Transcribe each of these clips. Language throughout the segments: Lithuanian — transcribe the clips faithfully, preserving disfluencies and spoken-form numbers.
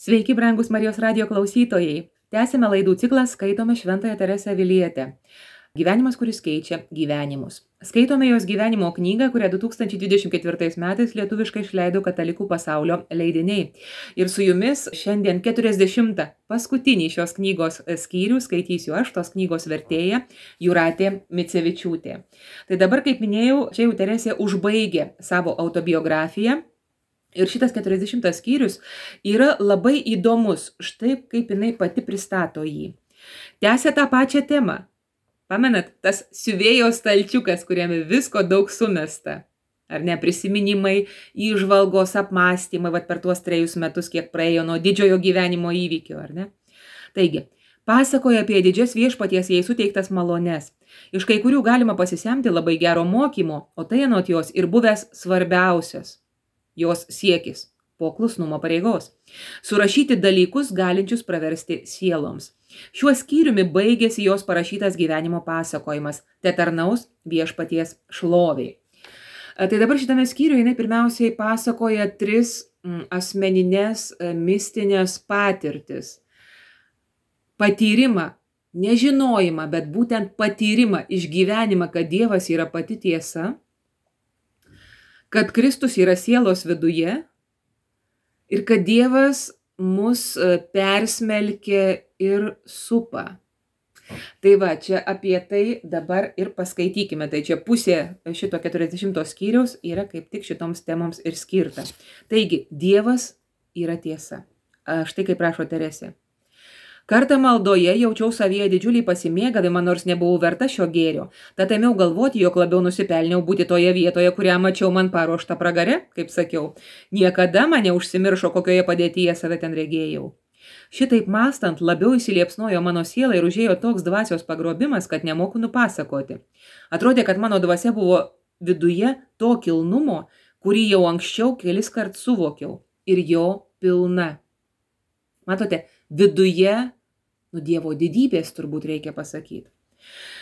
Sveiki, brangus Marijos radijo klausytojai. Tęsime laidų ciklą Skaitome Šventąją Teresę Avilietę. Gyvenimas, kuris keičia gyvenimus. Skaitome jos gyvenimo knygą, kurią du tūkstančiai dvidešimt ketvirtais metais lietuviškai išleido Katalikų pasaulio leidiniai. Ir su jumis šiandien keturiasdešimtą paskutinį šios knygos skyrių skaitysiu aš, tos knygos vertėja Jūratė Micevičiūtė. Tai dabar, kaip minėjau, čia jau Teresė užbaigė savo autobiografiją. Ir šitas keturiasdešimtas skyrius yra labai įdomus, štai kaip jinai pati pristato jį. Tęsia tą pačią temą. Pamenat, tas siuvėjo stalčiukas, kuriame visko daug sumesta. Ar ne, prisiminimai, įžvalgos, apmąstymai, vat per tuos trejus metus, kiek praėjo nuo didžiojo gyvenimo įvykio, ar ne? Taigi, pasakoja apie didžias viešpaties jai suteiktas malones. Iš kai kurių galima pasisemti labai gero mokymo, o tai anot jos ir buvęs svarbiausias jos siekis po klusnumo pareigos. Surašyti dalykus galinčius praversti sieloms. Šiuo skyriumi baigėsi jos parašytas gyvenimo pasakojimas, te tarnaus viešpaties šloviai. Tai dabar šitame skyriuje jinai pirmiausiai pasakoja tris asmeninės mistinės patirtis. Patyrimą, nežinojimą, bet būtent patyrimą, išgyvenimą, kad Dievas yra pati tiesa, kad Kristus yra sielos viduje ir kad Dievas mus persmelkia ir supa. Tai va, čia apie tai dabar ir paskaitykime. Tai čia pusė šito keturiasdešimto skyriaus yra kaip tik šitoms temoms ir skirta. Taigi, Dievas yra tiesa. Štai kaip rašo Teresė. Kartą maldoje jaučiau savyje didžiulį pasimėgavimą, nors nebuvau verta šio gėrio. Tad ėmiau galvoti, jog labiau nusipelniau būti toje vietoje, kurią mačiau man paruoštą pragare, kaip sakiau. Niekada mane užsimiršo, kokioje padėtyje save ten regėjau. Šitaip mąstant, labiau įsiliepsnojo mano siela ir užėjo toks dvasios pagrobimas, kad nemoku nupasakoti. Atrodė, kad mano dvasia buvo viduje to kilnumo, kurį jau anksčiau kelis kart suvokiau, ir jo pilna. Matote, viduje, nu Dievo didybės turbūt reikia pasakyti.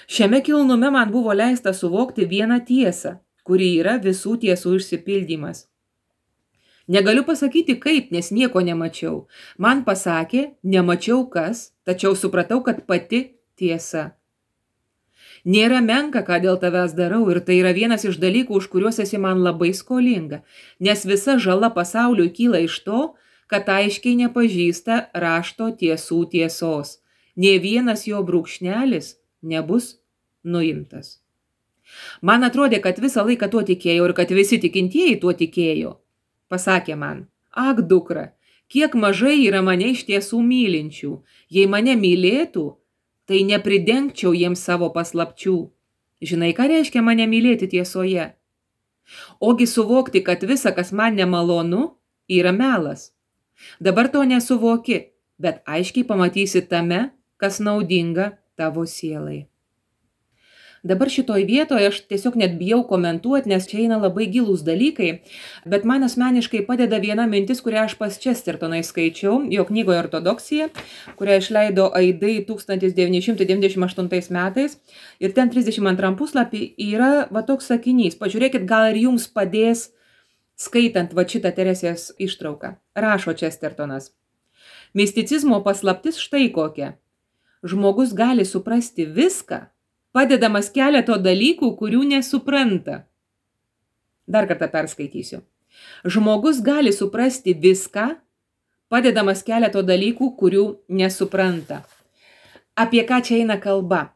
Šiame kilnume man buvo leista suvokti vieną tiesą, kuri yra visų tiesų išsipildymas. Negaliu pasakyti kaip, nes nieko nemačiau. Man pasakė, nemačiau kas, tačiau supratau, kad pati tiesa. Nėra menka, ką dėl tavęs darau, ir tai yra vienas iš dalykų, už kuriuos esi man labai skolinga, nes visa žala pasauliui kyla iš to, kad aiškiai nepažįsta rašto tiesų tiesos. Nė vienas jo brūkšnelis nebus nuimtas. Man atrodė, kad visą laiką tuo tikėjau ir kad visi tikintieji tuo tikėjo. Pasakė man, ak dukra, kiek mažai yra mane iš tiesų mylinčių. Jei mane mylėtų, tai nepridengčiau jiems savo paslapčių. Žinai, ką reiškia mane mylėti tiesoje? Ogi suvokti, kad visa, kas man nemalonu, yra melas. Dabar to nesuvoki, bet aiškiai pamatysi tame, kas naudinga tavo sielai. Dabar šitoj vietoje aš tiesiog net bijau komentuoti, nes čia eina labai gilūs dalykai, bet man asmeniškai padeda viena mintis, kurią aš pas Chestertonai skaičiau, jo knygoje Ortodoksija, kurią išleido Aidai tūkstantis devyni šimtai devyniasdešimt aštuntais metais, ir ten trisdešimt antram puslapį yra va toks sakinys. Pažiūrėkit, gal ir jums padės skaitant va šitą Teresės ištrauką. Rašo Chestertonas. Misticizmo paslaptis štai kokia. Žmogus gali suprasti viską, padedamas keleto dalykų, kurių nesupranta. Dar kartą perskaitysiu. Žmogus gali suprasti viską, padedamas keleto dalykų, kurių nesupranta. Apie ką čia eina kalba?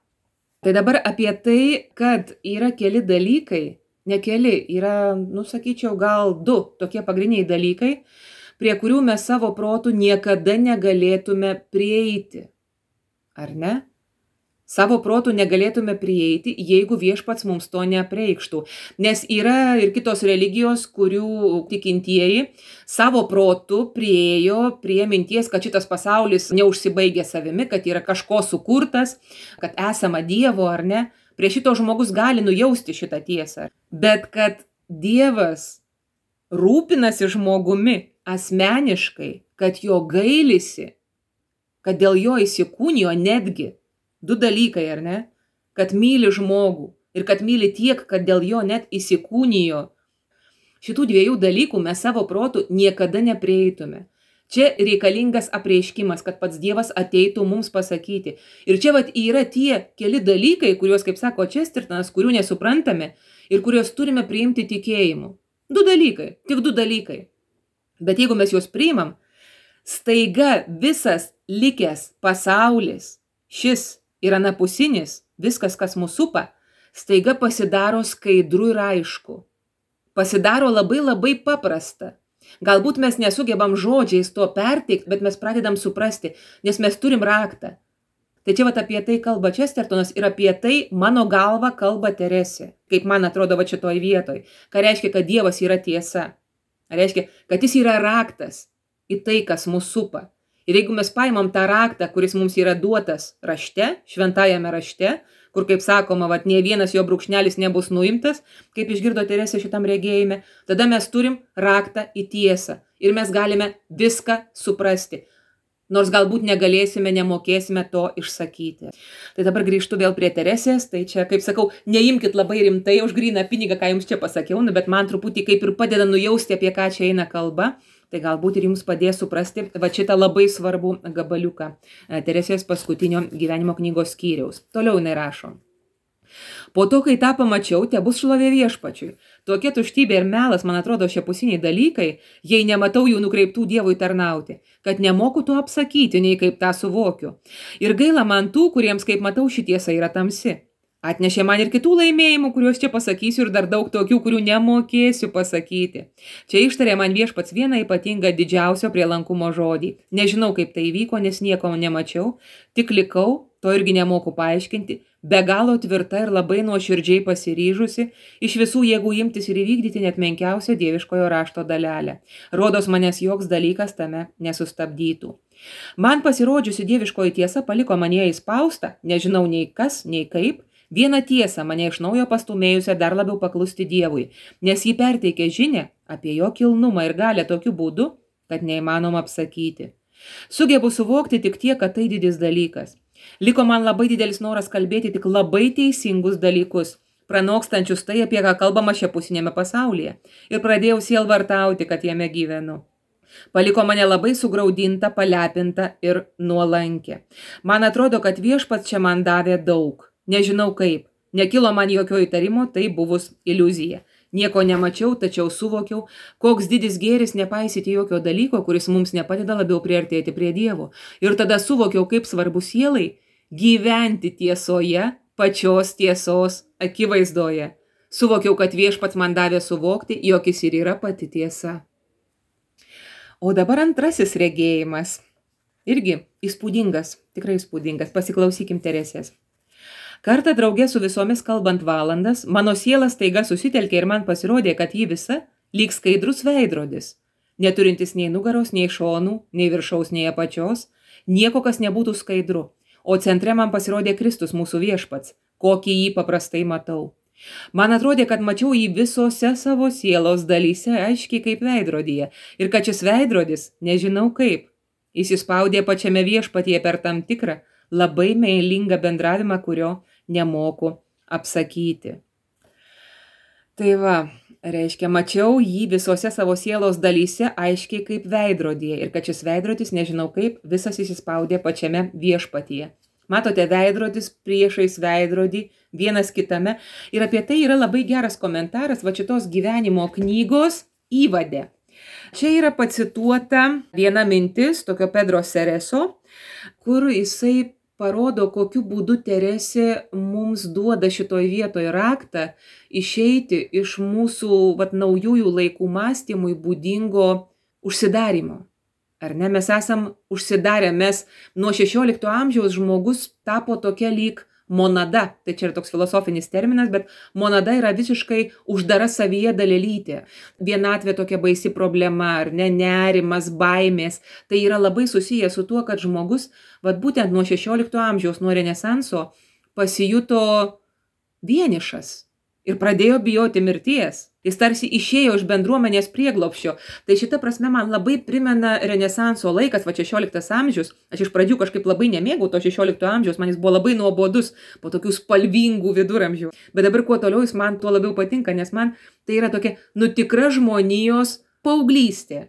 Tai dabar apie tai, kad yra keli dalykai, ne keli, yra, nu, sakyčiau, gal du tokie pagrindiniai dalykai, prie kurių mes savo protų niekada negalėtume prieiti. Ar ne? Savo protų negalėtume prieiti, jeigu viešpats mums to neapreikštų. Nes yra ir kitos religijos, kurių tikintieji savo protų priejo prie minties, kad šitas pasaulis neužsibaigė savimi, kad yra kažko sukurtas, kad esama Dievo, ar ne? Prie šito žmogus gali nujausti šitą tiesą. Bet kad Dievas rūpinasi žmogumi asmeniškai, kad jo gailisi, kad dėl jo įsikūnijo netgi du dalykai, ar ne? Kad myli žmogų ir kad myli tiek, kad dėl jo net įsikūnijo. Šitų dviejų dalykų mes savo protų niekada neprieitume. Čia reikalingas apreiškimas, kad pats Dievas ateitų mums pasakyti. Ir čia vat yra tie keli dalykai, kuriuos, kaip sako Chestertonas, kurių nesuprantame ir kuriuos turime priimti tikėjimu. Du dalykai, tik du dalykai. Bet jeigu mes juos priimam, staiga visas likęs pasaulis, šis ir anapusinis, viskas, kas mūsų supa, staiga pasidaro skaidru ir aišku. Pasidaro labai labai paprasta. Galbūt mes nesugebam žodžiais to perteikti, bet mes pradedam suprasti, nes mes turim raktą. Tai čia vat apie tai kalba Chestertonas ir apie tai mano galva kalba Teresė, kaip man atrodo va šitoj vietoj. Ką reiškia, kad Dievas yra tiesa. Reiškia, kad jis yra raktas į tai, kas mūsų supa. Ir jeigu mes paimam tą raktą, kuris mums yra duotas rašte, šventajame rašte, kur, kaip sakoma, vat, nie vienas jo brūkšnelis nebus nuimtas, kaip išgirdo Teresė šitam regėjime, tada mes turim raktą į tiesą ir mes galime viską suprasti. Nors galbūt negalėsime, nemokėsime to išsakyti. Tai dabar grįžtu vėl prie Teresės, tai čia, kaip sakau, neimkit labai rimtai už gryną pinigą, ką jums čia pasakiau, nu, bet man truputį kaip ir padeda nujausti, apie ką čia eina kalba. Tai galbūt ir jums padės suprasti va šitą labai svarbų gabaliuką Teresės paskutinio gyvenimo knygos skyriaus. Toliau jinai rašo. Po to, kai tą pamačiau, te bus šlovė viešpačiui. Tokia tuštybė ir melas, man atrodo, šiapusiniai dalykai, jei nematau jų nukreiptų Dievui tarnauti, kad nemoku to apsakyti, nei kaip tą suvokiu. Ir gaila man tų, kuriems, kaip matau, ši tiesa yra tamsi. Atnešė man ir kitų laimėjimų, kuriuos čia pasakysiu ir dar daug tokių, kurių nemokėsiu pasakyti. Čia ištarė man viešpats vieną ypatingą didžiausio prielankumo žodį. Nežinau, kaip tai įvyko, nes nieko nemačiau, tik likau, to irgi nemoku paaiškinti, be galo tvirta ir labai nuoširdžiai pasiryžusi, iš visų jėgų imtis ir įvykdyti net menkiausią dieviškojo rašto dalelę. Rodos manęs joks dalykas tame nesustabdytų. Man pasirodžiusi dieviškoji tiesa paliko mane įspaustą, nežinau nei kas, nei kaip, vieną tiesą mane iš naujo pastumėjusią dar labiau paklusti Dievui, nes jį perteikė žinią apie jo kilnumą ir galę tokiu būdu, kad neįmanoma apsakyti. Sugebu suvokti tik tiek, kad tai didis dalykas. Liko man labai didelis noras kalbėti tik labai teisingus dalykus, pranokstančius tai, apie ką kalbama šiapusinėme pasaulyje, ir pradėjau sielvartauti, kad jame gyvenu. Paliko mane labai sugraudinta, palepinta ir nuolankę. Man atrodo, kad viešpats čia man davė daug. Nežinau kaip. Nekilo man jokio įtarimo, tai buvus iliuzija. Nieko nemačiau, tačiau suvokiau, koks didis gėris nepaisyti jokio dalyko, kuris mums nepadeda labiau priartėti prie Dievo. Ir tada suvokiau, kaip svarbu sielai gyventi tiesoje, pačios tiesos akivaizdoje. Suvokiau, kad viešpats man davė suvokti, jog jis ir yra pati tiesa. O dabar antrasis regėjimas. Irgi įspūdingas, tikrai įspūdingas. Pasiklausykim Teresės. Kartą draugė su visomis kalbant valandas, mano siela staiga susitelkė ir man pasirodė, kad ji visa lyg skaidrus veidrodis, neturintis nei nugaros, nei šonų, nei viršaus, nei apačios, nieko, kas nebūtų skaidru, o centre man pasirodė Kristus mūsų viešpats, kokį jį paprastai matau. Man atrodė, kad mačiau jį visose savo sielos dalyse, aiškiai kaip veidrodyje, ir kad šis veidrodis, nežinau kaip, įsispaudė pačiame viešpatyje per tam tikrą, labai meilingą bendravimą, kurio nemoku apsakyti. Tai va, reiškia, mačiau jį visose savo sielos dalyse aiškiai kaip veidrodyje ir kad šis veidrodis, nežinau kaip, visas įsispaudė pačiame viešpatyje. Matote, veidrodis priešais veidrodį, vienas kitame. Ir apie tai yra labai geras komentaras va šitos gyvenimo knygos įvade. Čia yra pacituota viena mintis, tokio Pedro Cereso, kur jisai parodo, kokiu būdu Teresė mums duoda šitoj vietoj raktą išeiti iš mūsų vat, naujųjų laikų mąstymui būdingo užsidarimo. Ar ne? Mes esam užsidarę, mes nuo šešiolikto amžiaus žmogus tapo tokia lyg monada. Tai čia yra toks filosofinis terminas, bet monada yra visiškai uždara savyje dalelytė. Vienatvė tokia baisi problema, ar ne, nerimas, baimės. Tai yra labai susiję su tuo, kad žmogus, vat būtent nuo šešiolikto amžiaus, nuo Renesanso, pasijuto vienišas ir pradėjo bijoti mirties. Jis tarsi išėjo iš bendruomenės prieglobsčio. Tai šita prasme man labai primena Renesanso laikas, va šešioliktas amžius. Aš iš pradžių kažkaip labai nemėgau to šešiolikto amžiaus, man jis buvo labai nuobodus po tokių spalvingų viduramžių. Bet dabar kuo toliau jis man tuo labiau patinka, nes man tai yra tokia nu tikra žmonijos paauglystė.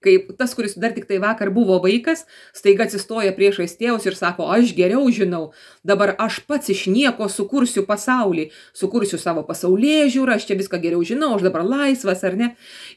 Kaip tas, kuris dar tik tai vakar buvo vaikas, staiga atsistoja priešais tėvus ir sako, aš geriau žinau, dabar aš pats iš nieko sukursiu pasaulį, sukursiu savo pasaulėžiūrą, aš čia viską geriau žinau, aš dabar laisvas, ar ne?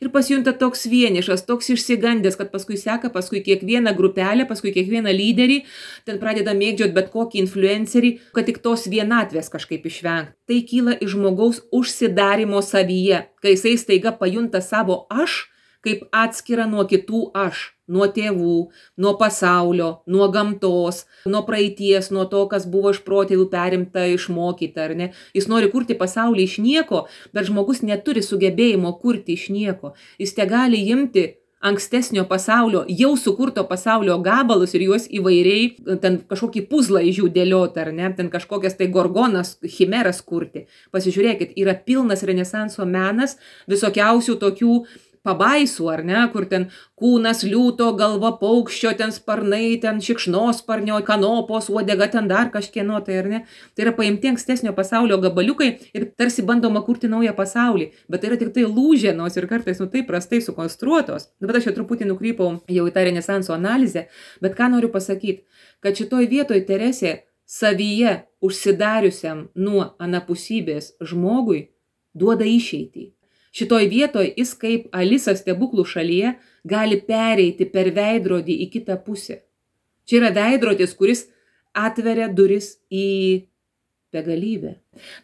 Ir pasijunta toks vienišas, toks išsigandęs, kad paskui seka, paskui kiekvieną grupelę, paskui kiekvieną lyderį, ten pradeda mėgdžiot bet kokį influencerį, kad tik tos vienatvės kažkaip išvengti. Tai kyla iš žmogaus užsidarimo savyje, kai jisai staiga pajunta savo aš, kaip atskira nuo kitų aš, nuo tėvų, nuo pasaulio, nuo gamtos, nuo praeities, nuo to, kas buvo iš protėvių perimta, išmokyta, ar ne? Jis nori kurti pasaulį iš nieko, bet žmogus neturi sugebėjimo kurti iš nieko. Jis te gali imti ankstesnio pasaulio, jau sukurto pasaulio gabalus ir juos įvairiai, ten kažkokį puzlą iš jų dėlioti, ar ne? Ten kažkokias tai gorgonas, chimeras kurti. Pasižiūrėkit, yra pilnas renesanso menas visokiausių tokių pabaisų, ar ne, kur ten kūnas liūto, galva paukščio, ten sparnai, ten šikšnosparnio, kanopos, uodega, ten dar kažkieno, tai ar ne. Tai yra paimti ankstesnio pasaulio gabaliukai ir tarsi bandoma kurti naują pasaulį, bet tai yra tik tai lūženos ir kartais nu taip prastai sukonstruotos. Dabar aš jau truputį nukrypau jau į tą renesanso analizę, bet ką noriu pasakyti, kad šitoj vietoj Teresė savyje užsidariusiam nuo anapusybės žmogui duoda išeitį. Šitoj vietoj jis kaip Alisa stebuklų šalyje gali pereiti per veidrodį į kitą pusę. Čia yra veidrodis, kuris atveria duris į begalybę.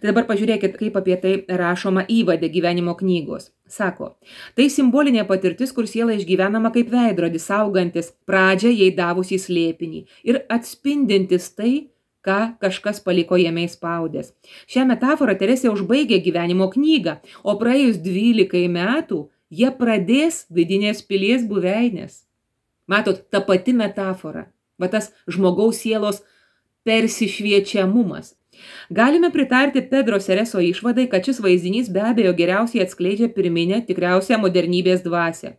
Tai dabar pažiūrėkit, kaip apie tai rašoma įvade gyvenimo knygos. Sako, tai simbolinė patirtis, kur siela išgyvenama kaip veidrodis, saugantis pradžią jai davusį slėpinį ir atspindintis tai, ką kažkas paliko jame įspaudęs. Šią metaforą Teresė užbaigė gyvenimo knygą, o praėjus dvylikai metų jie pradės vidinės pilies buveinės. Matot, ta pati metafora, va tas žmogaus sielos persišviečiamumas. Galime pritarti Pedro Sereso išvadai, kad šis vaizdinys be abejo geriausiai atskleidžia pirminę tikriausią modernybės dvasią.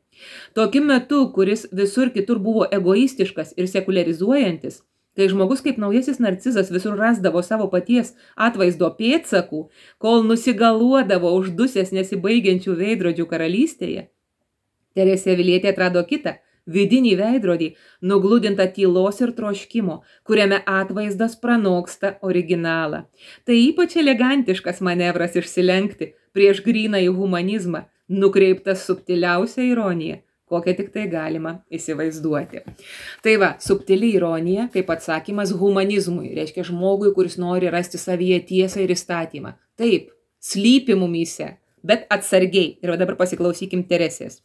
Tokiu metu, kuris visur kitur buvo egoistiškas ir sekuliarizuojantis, kai žmogus kaip naujasis narcizas visur rasdavo savo paties atvaizdo pėdsakų, kol nusigaluodavo uždusęs nesibaigiančių veidrodžių karalystėje, Teresė Avilietė atrado kitą, vidinį veidrodį, nugludintą tylos ir troškimo, kuriame atvaizdas pranoksta originalą. Tai ypač elegantiškas manevras išsilenkti prieš grynąjį humanizmą, nukreiptas subtiliausia ironija, kokią tik tai galima įsivaizduoti. Tai va, subtili ironija kaip atsakymas humanizmui, reiškia žmogui, kuris nori rasti savyje tiesą ir įstatymą. Taip, slypi mumyse, bet atsargiai. Ir dabar pasiklausykim Teresės.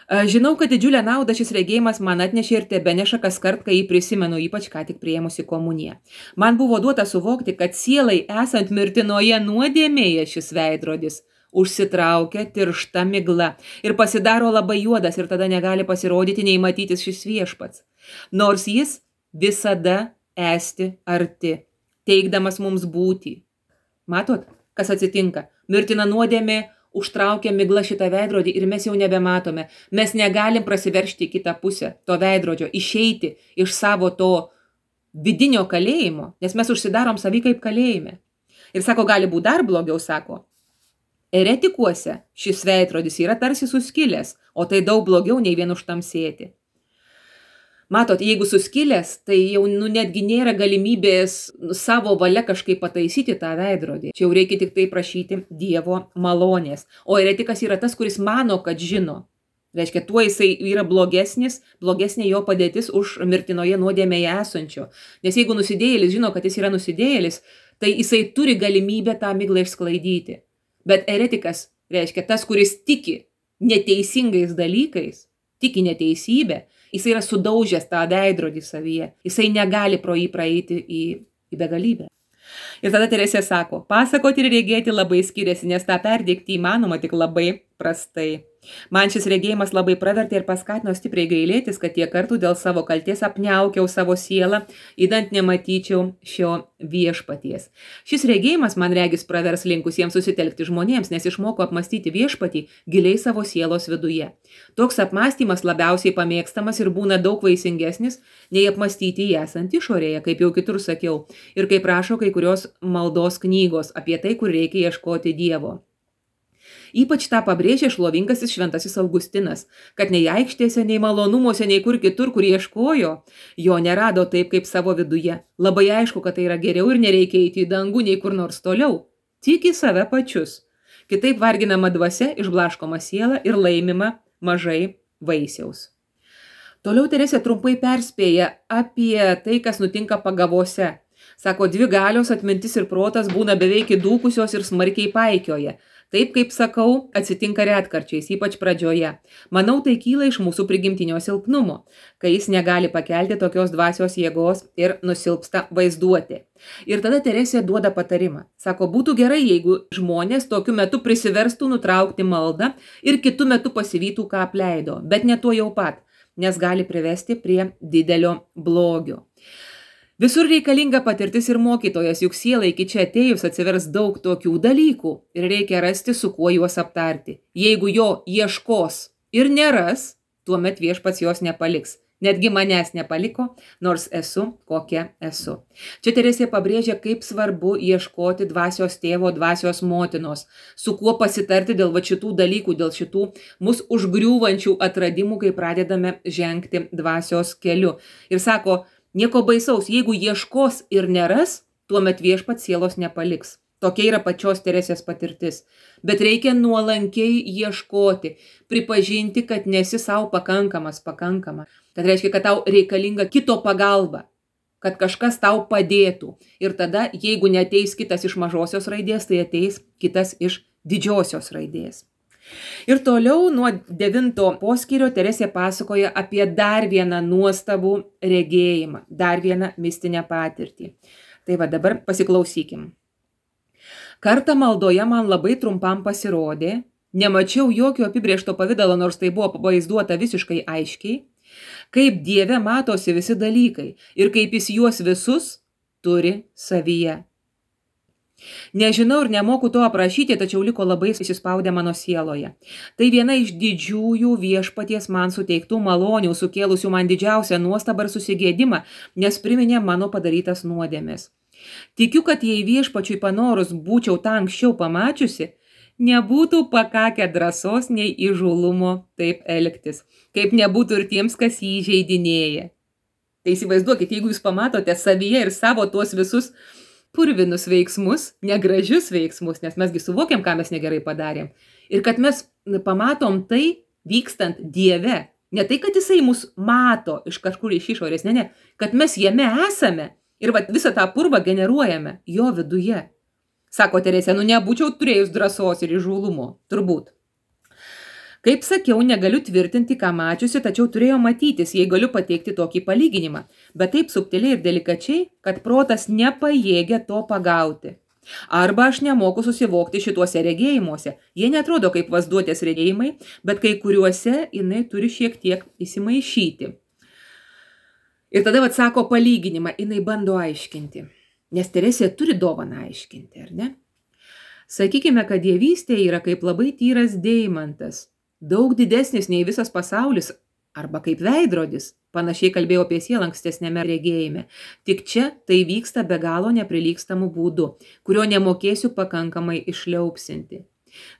Žinau, kad didžiulę naudą šis regėjimas man atnešė ir tebeneša kas kart, kai jį prisimenu, ypač ką tik priėmusi komuniją. Man buvo duota suvokti, kad sielai esant mirtinoje nuodėmėje šis veidrodis užsitraukia tiršta migla ir pasidaro labai juodas ir tada negali pasirodyti nei matytis šis viešpats. Nors jis visada esti arti, teikdamas mums būtį. Matot, kas atsitinka? Mirtina nuodėmė užtraukia migla šitą veidrodį ir mes jau nebematome. Mes negalim prasiveršti į kitą pusę to veidrodžio, išeiti iš savo to vidinio kalėjimo, nes mes užsidarom savį kaip kalėjime. Ir sako, gali būti dar blogiau, sako. Eretikuose šis veidrodis yra tarsi suskilęs, o tai daug blogiau nei vien užtamsėti. Matot, jeigu suskilęs, tai jau nu, netgi nėra galimybės savo valia kažkaip pataisyti tą veidrodį. Čia jau reikia tik tai prašyti Dievo malonės. O eretikas yra tas, kuris mano, kad žino. Reiškia, tuo jisai yra blogesnis, blogesnė jo padėtis už mirtinoje nuodėmėje esančio. Nes jeigu nusidėjėlis žino, kad jis yra nusidėjėlis, tai jisai turi galimybę tą miglą išsklaidyti. Bet eretikas reiškia tas, kuris tiki neteisingais dalykais, tiki neteisybę, jisai yra sudaužęs tą veidrodį savyje, jisai negali pro jį praeiti į, į begalybę. Ir tada Teresė sako, pasakoti ir regėti labai skiriasi, nes tą perdėkti įmanoma tik labai prastai. Man šis regėjimas labai pravertė ir paskatino stipriai gailėtis, kad tiek kartų dėl savo kalties apniaukiau savo sielą, įdant nematyčiau šio viešpaties. Šis regėjimas man regis pravers linkusiems susitelkti žmonėms, nes išmoko apmastyti viešpatį giliai savo sielos viduje. Toks apmastymas labiausiai pamėgstamas ir būna daug vaisingesnis, nei apmastyti jį esant išorėje, kaip jau kitur sakiau, ir kaip rašo kai kurios maldos knygos apie tai, kur reikia ieškoti Dievo. Ypač tą pabrėžė šlovingasis šventasis Augustinas, kad nei aikštėse, nei malonumuose, nei kur kitur, kur ieškojo, jo nerado taip, kaip savo viduje. Labai aišku, kad tai yra geriau ir nereikia eiti į dangų, nei kur nors toliau. Tik į save pačius. Kitaip varginama dvasia, išblaškoma siela ir laimima mažai vaisiaus. Toliau Teresė trumpai perspėja apie tai, kas nutinka pagavose. Sako, dvi galios, atmintis ir protas būna beveik įdūkusios ir smarkiai paikioja. Taip, kaip sakau, atsitinka retkarčiais, ypač pradžioje. Manau, tai kyla iš mūsų prigimtinio silpnumo, kai jis negali pakelti tokios dvasios jėgos ir nusilpsta vaizduoti. Ir tada Teresė duoda patarimą. Sako, būtų gerai, jeigu žmonės tokiu metu prisiverstų nutraukti maldą ir kitu metu pasivytų, ką apleido, bet ne tuo jau pat, nes gali privesti prie didelio blogio. Visur reikalinga patirtis ir mokytojas, juk siela iki čia atėjus atsivers daug tokių dalykų ir reikia rasti, su kuo juos aptarti. Jeigu jo ieškos ir neras, tuomet viešpats jos nepaliks. Netgi manęs nepaliko, nors esu, kokia esu. Čia Teresė pabrėžia, kaip svarbu ieškoti dvasios tėvo, dvasios motinos, su kuo pasitarti dėl va šitų dalykų, dėl šitų mus užgriūvančių atradimų, kai pradedame žengti dvasios keliu. Ir sako, nieko baisaus, jeigu ieškos ir neras, tuomet viešpats sielos nepaliks. Tokia yra pačios Teresės patirtis. Bet reikia nuolankiai ieškoti, pripažinti, kad nesi savo pakankamas, pakankama. Kad reiškia, kad tau reikalinga kito pagalba, kad kažkas tau padėtų. Ir tada, jeigu neateis kitas iš mažosios raidės, tai ateis kitas iš didžiosios raidės. Ir toliau nuo devinto poskyrio Teresė pasakoja apie dar vieną nuostabų regėjimą, dar vieną mistinę patirtį. Tai va dabar pasiklausykim. Kartą maldoje man labai trumpam pasirodė, nemačiau jokio apibrėžto pavidalo, nors tai buvo pavaizduota visiškai aiškiai, kaip Dieve matosi visi dalykai ir kaip jis juos visus turi savyje. Nežinau ir nemoku to aprašyti, tačiau liko labai įsispaudę mano sieloje. Tai viena iš didžiųjų viešpaties man suteiktų malonių, sukėlusių man didžiausią nuostabą ir susigėdimą, nes priminė mano padarytas nuodėmes. Tikiu, kad jei viešpačiui panorus būčiau tą anksčiau pamačiusi, nebūtų pakakę drąsos nei įžūlumo taip elgtis, kaip nebūtų ir tiems, kas jį įžeidinėja. Tai įsivaizduokit, jeigu jūs pamatote savyje ir savo tuos visus purvinus veiksmus, negražius veiksmus, nes mesgi suvokiam, ką mes negerai padarėm. Ir kad mes pamatom tai vykstant Dieve. Ne tai, kad jisai mus mato iš kažkur iš išorės, ne, ne, kad mes jame esame ir vat, visą tą purvą generuojame jo viduje. Sako Teresė, nu nebūčiau turėjus drąsos ir įžūlumo, turbūt. Kaip sakiau, negaliu tvirtinti, ką mačiusi, tačiau turėjo matytis, jei galiu pateikti tokį palyginimą, bet taip subtiliai ir delikačiai, kad protas nepajėgia to pagauti. Arba aš nemoku susivokti šituose regėjimuose. Jie netrodo kaip vaizduotės regėjimai, bet kai kuriuose jinai turi šiek tiek įsimaišyti. Ir tada vat sako palyginimą, jinai bando aiškinti. Nes Teresė turi dovaną aiškinti, ar ne? Sakykime, kad dievystė yra kaip labai tyras deimantas, daug didesnis nei visas pasaulis, arba kaip veidrodis, panašiai kalbėjau apie sielą ankstesnėme regėjime. Tik čia tai vyksta be galo neprilygstamų būdų, kurio nemokėsiu pakankamai išliaupsinti.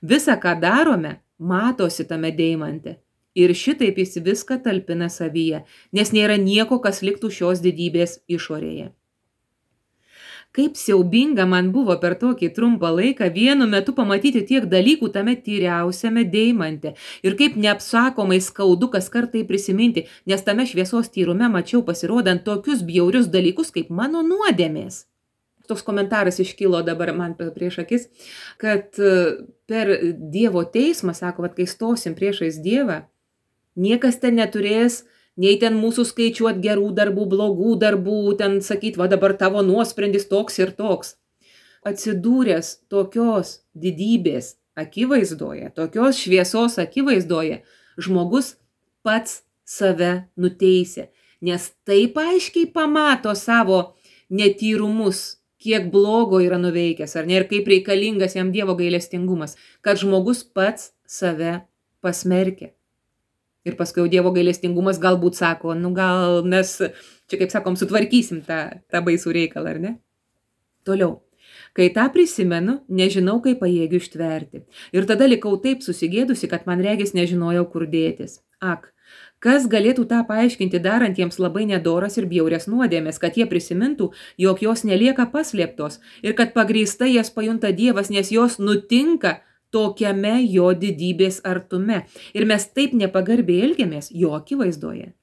Visa, ką darome, matosi tame deimante. Ir šitaip jis viską talpina savyje, nes nėra nieko, kas liktų šios didybės išorėje. Kaip siaubinga man buvo per tokį trumpą laiką vienu metu pamatyti tiek dalykų tame tyriausiame deimante ir kaip neapsakomai skaudu kas kartai prisiminti, nes tame šviesos tyrume mačiau pasirodant tokius bjaurius dalykus kaip mano nuodėmės. Toks komentaras iškilo dabar man prieš akis, kad per Dievo teismą, sako, kad kai stosim priešais Dievą, niekas ten neturės nei ten mūsų skaičiuot gerų darbų, blogų darbų, ten sakyt, va dabar tavo nuosprendis toks ir toks. Atsidūręs tokios didybės akivaizdoje, tokios šviesos akivaizdoje, žmogus pats save nuteisė, nes taip aiškiai pamato savo netyrumus, kiek blogo yra nuveikęs, ar ne, ir kaip reikalingas jam Dievo gailestingumas, kad žmogus pats save pasmerkia. Ir paskui Dievo gailestingumas galbūt sako, nu gal mes, čia kaip sakom, sutvarkysim tą, tą baisų reikalą, ar ne? Toliau. Kai tą prisimenu, nežinau, kaip pajėgiu ištverti. Ir tada likau taip susigėdusi, kad man regis nežinojau, kur dėtis. Ak, kas galėtų tą paaiškinti darantiems labai nedoras ir bjaurias nuodėmės, kad jie prisimintų, jog jos nelieka paslėptos ir kad pagrįstai jas pajunta Dievas, nes jos nutinka tokiame jo didybės artume. Ir mes taip nepagarbiai elgiamės jo akivaizdoje.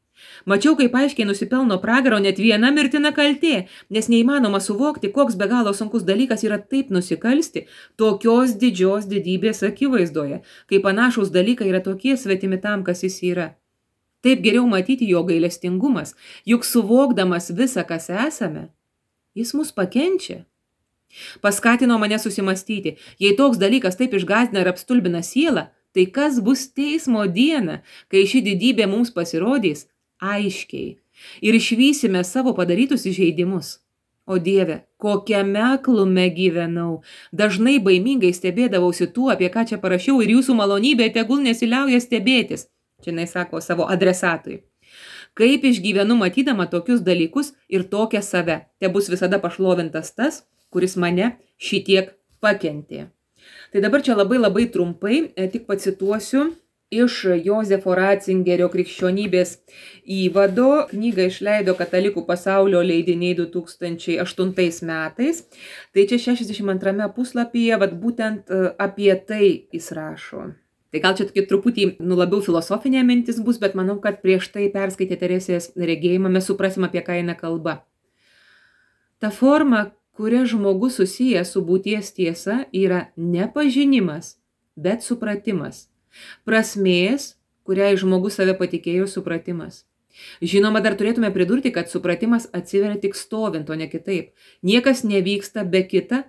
Mačiau, kaip aiškiai nusipelno pragaro net viena mirtina kaltė, nes neįmanoma suvokti, koks be galo sunkus dalykas yra taip nusikalsti tokios didžios didybės akivaizdoje, kai panašus dalykai yra tokie svetimi tam, kas jis yra. Taip geriau matyti jo gailestingumas, juk suvokdamas visą, kas esame, jis mus pakenčia. Paskatino mane susimastyti, jei toks dalykas taip išgąsdina ir apstulbina sielą, tai kas bus teismo diena, kai ši didybė mums pasirodys aiškiai ir išvysime savo padarytus įžeidimus. O Dieve, kokiame aklume gyvenau, dažnai baimingai stebėdavausi tuo, apie ką čia parašiau, ir jūsų malonybė tegul nesiliauja stebėtis. Čia jinai sako savo adresatui. Kaip išgyvenu matydama tokius dalykus ir tokią save, te bus visada pašlovintas tas, kuris mane šitiek pakentė. Tai dabar čia labai labai trumpai tik pacituosiu iš Jozefo Ratzingerio Krikščionybės įvado. Knygą išleido Katalikų pasaulio leidiniai du tūkstančiai aštuntais metais. Tai čia šešiasdešimt antrame puslapyje, vat būtent apie tai jis rašo. Tai gal čia tokie truputį, nu, labiau filosofinė mintis bus, bet manau, kad prieš tai perskaitę Teresės regėjimą mes suprasim, apie ką eina kalba. Ta forma, kuria žmogus susijęs su būties tiesa, yra ne pažinimas, bet supratimas. Prasmės, kuriai žmogus save patikėjo, supratimas. Žinoma, dar turėtume pridurti, kad supratimas atsiveria tik stovint, o ne kitaip. Niekas nevyksta be kita,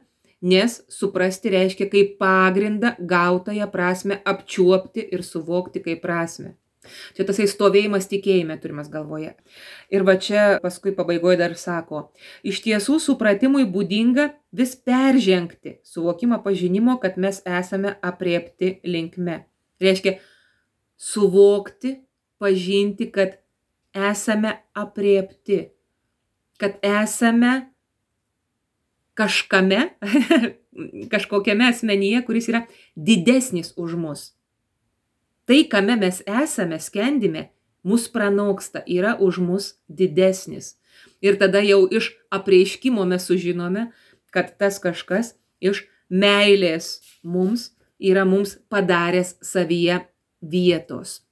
nes suprasti reiškia kaip pagrindą gautąją prasmę apčiuopti ir suvokti kaip prasmę. Čia tasai stovėjimas tikėjime turimas galvoje. Ir va čia paskui pabaigoje dar sako, iš tiesų supratimui būdinga vis peržengti suvokimą pažinimo, kad mes esame aprėpti linkme. Reiškia suvokti, pažinti, kad esame aprėpti, kad esame kažkame, kažkokiame asmenyje, kuris yra didesnis už mus. Tai, kame mes esame, skendime, mus pranoksta, yra už mus didesnis. Ir tada jau iš apreiškimo mes sužinome, kad tas kažkas iš meilės mums yra mums padaręs savyje vietos.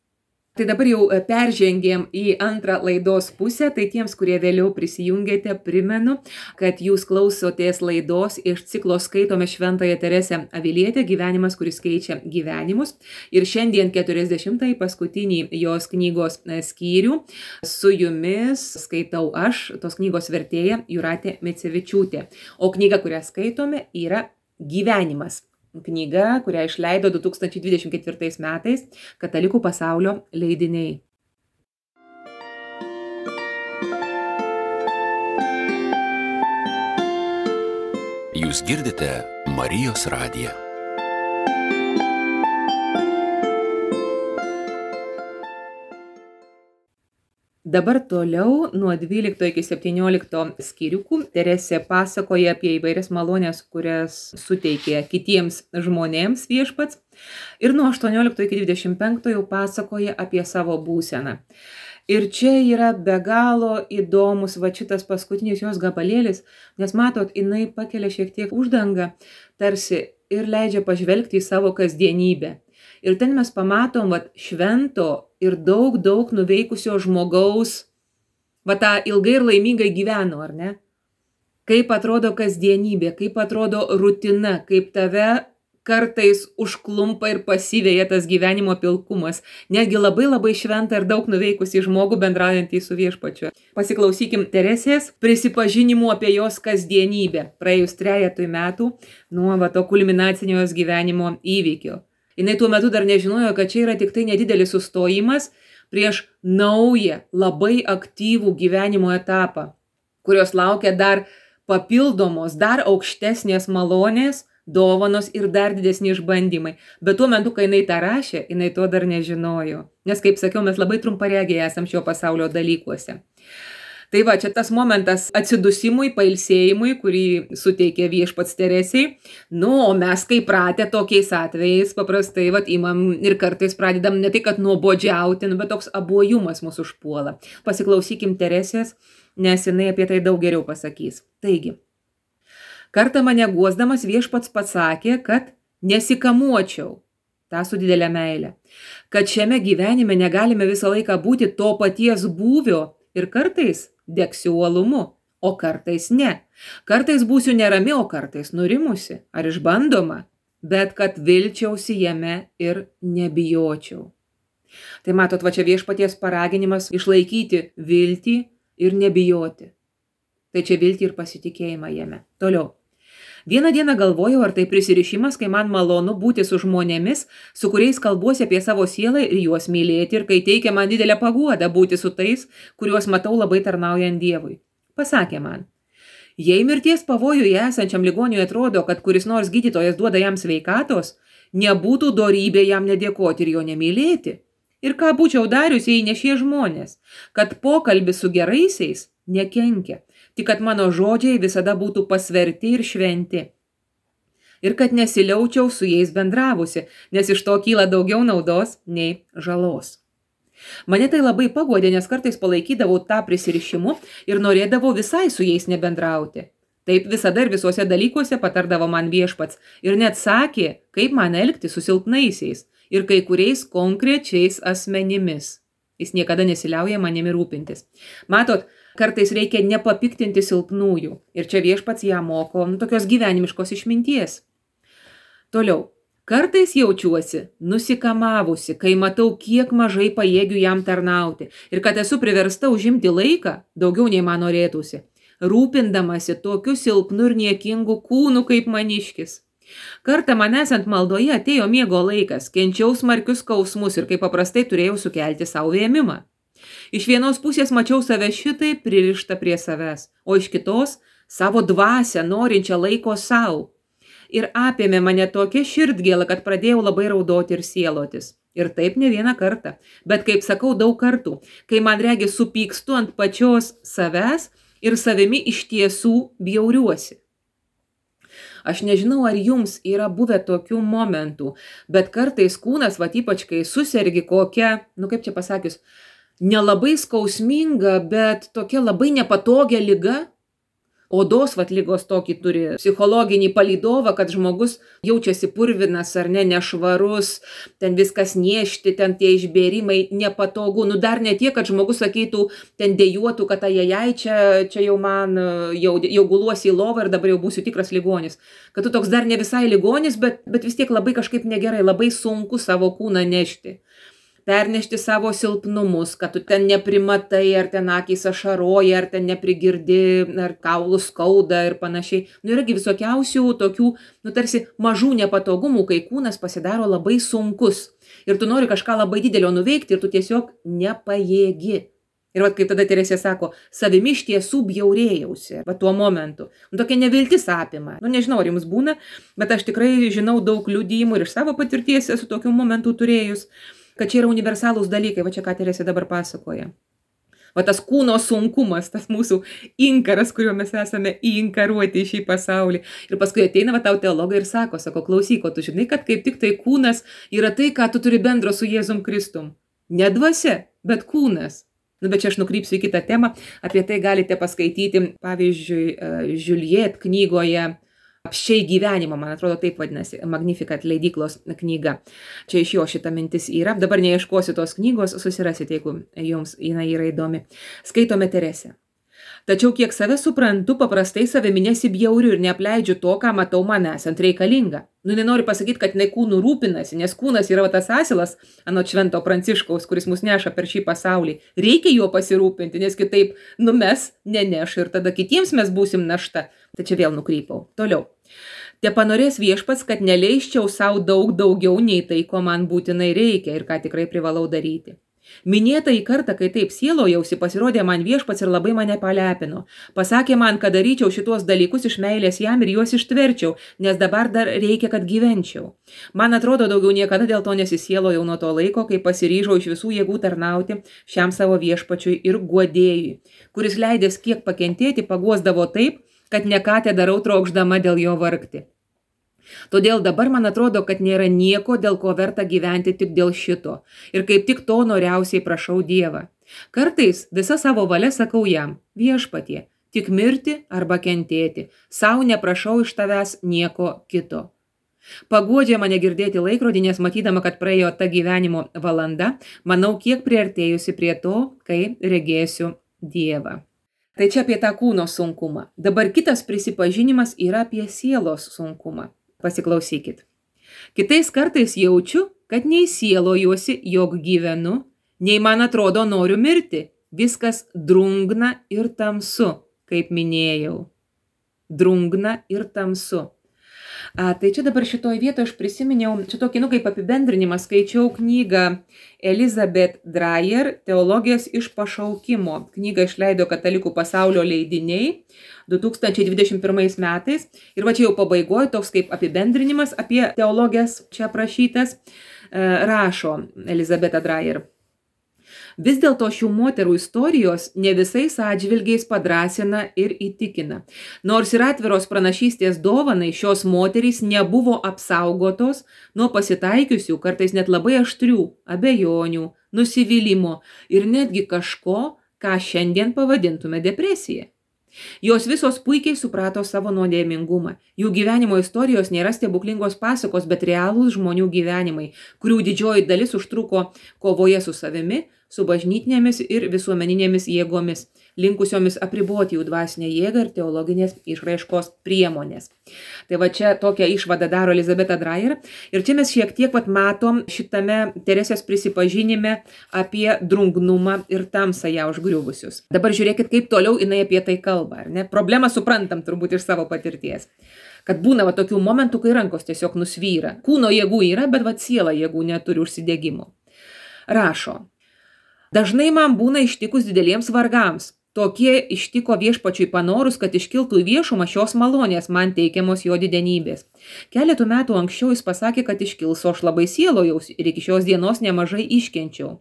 Tai dabar jau peržengėm į antrą laidos pusę, tai tiems, kurie vėliau prisijungėte, primenu, kad jūs klausotės laidos iš ciklo Skaitome Šventąją Teresę Avilietę, gyvenimas, kuris keičia gyvenimus. Ir šiandien keturiasdešimtąjį paskutinį jos knygos skyrių su jumis skaitau aš, tos knygos vertėja Jūratė Micevičiūtė. O knyga, kurią skaitome, yra Gyvenimas. Knyga, kurią išleido du tūkstančiai dvidešimt ketvirtais metais Katalikų pasaulio leidiniai. Jūs girdite Marijos radiją. Dabar toliau nuo dvylikto iki septyniolikto skyriukų Teresė pasakoja apie įvairias malonės, kurias suteikė kitiems žmonėms viešpats. Ir nuo aštuoniolikto iki dvidešimt penkto jau pasakoja apie savo būseną. Ir čia yra be galo įdomus va šitas paskutinis jos gabalėlis, nes matot, jinai pakelia šiek tiek uždangą tarsi ir leidžia pažvelgti į savo kasdienybę. Ir ten mes pamatom vat, švento ir daug, daug nuveikusio žmogaus, va tą ilgai ir laimingai gyveno, ar ne? Kaip atrodo kasdienybė, kaip atrodo rutina, kaip tave kartais užklumpa ir pasiveja tas gyvenimo pilkumas. Netgi labai labai šventą ir daug nuveikusi žmogų bendraujantį su viešpačiu. Pasiklausykim Teresės prisipažinimų apie jos kasdienybę, praėjus trejetui metų nuo va, to kulminacinio jos gyvenimo įvykio. Jinai tuo metu dar nežinojo, kad čia yra tik tai nedidelis sustojimas prieš naują, labai aktyvų gyvenimo etapą, kurios laukia dar papildomos, dar aukštesnės malonės, dovanos ir dar didesni išbandymai. Bet tuo metu, kai jinai tą rašė, jinai to dar nežinojo. Nes, kaip sakiau, mes labai trumparegiai esam šio pasaulio dalykuose. Tai va, čia tas momentas atsidusimui, pailsėjimui, kurį suteikė viešpats Teresiai. Nu, o mes kaip pratę tokiais atvejais paprastai vat, imam ir kartais pradedam ne tai, kad nuobodžiauti, bet toks abuojumas mūsų užpuola. Pasiklausykim Teresės, nes jinai apie tai daug geriau pasakys. Taigi, kartą mane guosdamas viešpats pasakė, kad nesikamuočiau, tą su didelė meilė, kad šiame gyvenime negalime visą laiką būti to paties būvio ir kartais degsiu uolumu, o kartais ne. Kartais būsiu nerami, o kartais nurimusi ar išbandoma, bet kad vilčiausi jame ir nebijočiau. Tai matot, va čia viešpaties paraginimas išlaikyti viltį ir nebijoti. Tai čia viltį ir pasitikėjimą jame. Toliau. Vieną dieną galvojau, ar tai prisirišimas, kai man malonu būti su žmonėmis, su kuriais kalbuosi apie savo sielą ir juos mylėti, ir kai teikia man didelę paguodą būti su tais, kuriuos matau labai tarnaujant Dievui. Pasakė man, jei mirties pavojuje esančiam ligoniui atrodo, kad kuris nors gydytojas duoda jam sveikatos, nebūtų dorybė jam nedėkoti ir jo nemylėti. Ir ką būčiau darius, jei ne šie žmonės, kad pokalbis su geraisiais nekenkia, tik kad mano žodžiai visada būtų pasverti ir šventi. Ir kad nesiliaučiau su jais bendravusi, nes iš to kyla daugiau naudos nei žalos. Mane tai labai paguodė, nes kartais palaikydavau tą prisirišimu ir norėdavau visai su jais nebendrauti. Taip visada ir visuose dalykuose patardavo man viešpats ir net sakė, kaip man elgti su silpnaisiais ir kai kuriais konkrečiais asmenimis. Jis niekada nesiliauja manimi rūpintis. Matot, kartais reikia nepapiktinti silpnųjų. Ir čia viešpats ją moko nu, tokios gyvenimiškos išminties. Toliau. Kartais jaučiuosi nusikamavusi, kai matau, kiek mažai pajėgiu jam tarnauti. Ir kad esu priversta užimti laiką, daugiau nei man norėtųsi, rūpindamasi tokiu silpnu ir niekingu kūnu kaip maniškis. Kartą man esant maldoje atėjo miego laikas, kenčiau smarkius skausmus ir kaip paprastai turėjau sukelti savo vėmimą. Iš vienos pusės mačiau save šitai pririštą prie savęs, o iš kitos savo dvasią norinčią laiko savo. Ir apėmė mane tokia širdgėla, kad pradėjau labai raudoti ir sielotis. Ir taip ne vieną kartą, bet kaip sakau daug kartų, kai man regi supykstu ant pačios savęs ir savimi iš tiesų bjauriuosi. Aš nežinau, ar jums yra buvę tokių momentų, bet kartais kūnas, va ypač kai susergi kokia, nu kaip čia pasakius, nelabai skausminga, bet tokia labai nepatogia liga. Odos vat lygos tokį turi psichologinį palydovą, kad žmogus jaučiasi purvinas ar ne, nešvarus, ten viskas niešti, ten tie išbėrimai nepatogu. Nu dar ne tiek, kad žmogus sakytų, ten dejuotų, kad ajajai, čia, čia jau man, jau, jau guluosi į lovą ir dabar jau būsiu tikras ligonis. Kad tu toks dar ne visai ligonis, bet, bet vis tiek labai kažkaip negerai, labai sunku savo kūną nešti. Pernešti savo silpnumus, kad tu ten neprimatai, ar ten akys ašaroja, ar ten neprigirdi, ar kaulų skauda ir panašiai. Nu yragi visokiausių tokių, nu tarsi mažų nepatogumų, kai kūnas pasidaro labai sunkus. Ir tu nori kažką labai didelio nuveikti ir tu tiesiog nepajėgi. Ir vat kaip tada Teresė sako, savimi iš tiesų bjaurėjausi, va tuo momentu. Nu, tokia neviltis apima. Nu nežinau, ar jums būna, bet aš tikrai žinau daug liudijimų ir iš savo patirties esu tokių momentų turėjus, kad čia yra universalūs dalykai, va čia ką Teresė dabar pasakoja. Va tas kūno sunkumas, tas mūsų inkaras, kuriuo mes esame įinkaruoti į šį pasaulį. Ir paskui ateina va tau teologai ir sako, sako, klausyk, o tu žinai, kad kaip tik tai kūnas yra tai, ką tu turi bendro su Jėzum Kristum. Ne dvasia, bet kūnas. Nu, bet čia aš nukrypsiu į kitą temą, apie tai galite paskaityti, pavyzdžiui, Juliet knygoje Apsčiai gyvenimo, man atrodo taip vadinasi, Magnificat leidyklos knyga. Čia iš jo šita mintis yra. Dabar neieškosiu tos knygos, susirasite, jeigu jums jinai yra įdomi. Skaitome Teresę. Tačiau kiek save suprantu, paprastai savimi nesibjauriu ir neapleidžiu to, ką matau man esant reikalinga. Nu, nenoriu pasakyti, kad jinai kūnų rūpinasi, nes kūnas yra va tas asilas, anot Švento Pranciškaus, kuris mus neša per šį pasaulį. Reikia juo pasirūpinti, nes kitaip numes, neneš ir tada kitiems mes būsim našta. Tai čia vėl nukrypau. Toliau. Te panorės viešpats, kad neleisčiau savo daug daugiau nei tai, ko man būtinai reikia ir ką tikrai privalau daryti. Minėtą į kartą, kai taip sielojausi, pasirodė man viešpats ir labai mane palepino. Pasakė man, kad daryčiau šitos dalykus iš meilės jam ir juos ištverčiau, nes dabar dar reikia, kad gyvenčiau. Man atrodo, daugiau niekada dėl to nesisielojau nuo to laiko, kai pasiryžau iš visų jėgų tarnauti šiam savo viešpačiui ir guodėjui, kuris leidęs kiek pakentėti, paguosdavo taip, kad ne ką te darau trokšdama dėl jo vargti. Todėl dabar man atrodo, kad nėra nieko, dėl ko verta gyventi tik dėl šito. Ir kaip tik to noriausiai prašau Dievą. Kartais visą savo valią sakau jam, viešpatie, tik mirti arba kentėti. Sau neprašau iš tavęs nieko kito. Paguodžia mane girdėti laikrodį, nes matydama, kad praėjo ta gyvenimo valanda, manau, kiek priartėjusi prie to, kai regėsiu Dievą. Tai čia apie tą kūno sunkumą. Dabar kitas prisipažinimas yra apie sielos sunkumą. Pasiklausykit. Kitais kartais jaučiu, kad nei sielojuosi, jog gyvenu, nei man atrodo noriu mirti. Viskas drungna ir tamsu, kaip minėjau. Drungna ir tamsu. A, tai čia dabar šitoj vietoje aš prisiminiau, čia tokį, nu, kaip apibendrinimą, skaičiau knygą Elizabeth Dreyer, Teologijos iš pašaukimo. Knygą išleido Katalikų pasaulio leidiniai du tūkstančiai dvidešimt pirmais metais. Ir va čia jau pabaigoje toks kaip apibendrinimas apie teologijas čia aprašytas, rašo Elizabeth Dreyer. Vis dėlto šių moterų istorijos ne visais atžvilgiais padrasina ir įtikina. Nors ir atviros pranašystės dovanai, šios moterys nebuvo apsaugotos nuo pasitaikiusių, kartais net labai aštrių abejonių, nusivylimo ir netgi kažko, ką šiandien pavadintume depresija. Jos visos puikiai suprato savo nuodėmingumą. Jų gyvenimo istorijos nėra stebuklingos pasakos, bet realūs žmonių gyvenimai, kurių didžioji dalis užtruko kovoje su savimi, su bažnytinėmis ir visuomeninėmis jėgomis, linkusiomis apriboti jų dvasinę jėgą ir teologinės išraiškos priemonės. Tai va čia tokią išvadą daro Elizabeth Dreyer. Ir čia mes šiek tiek vat matom šitame Teresės prisipažinime apie drungnumą ir tamsą ją užgriuvusius. Dabar žiūrėkit, kaip toliau jinai apie tai kalba. Ar ne? Problemą suprantam turbūt iš savo patirties. Kad būna va tokių momentų, kai rankos tiesiog nusvyra. Kūno jėgų yra, bet va siela jėgų neturi užsidegimo. Rašo. Dažnai man būna ištikus dideliems vargams. Tokie ištiko viešpačiui panorus, kad iškiltų į viešumą šios malonės man teikiamos jo didenybės. Keletų metų anksčiau jis pasakė, kad iškils, o aš labai sielojausi ir iki šios dienos nemažai iškenčiau.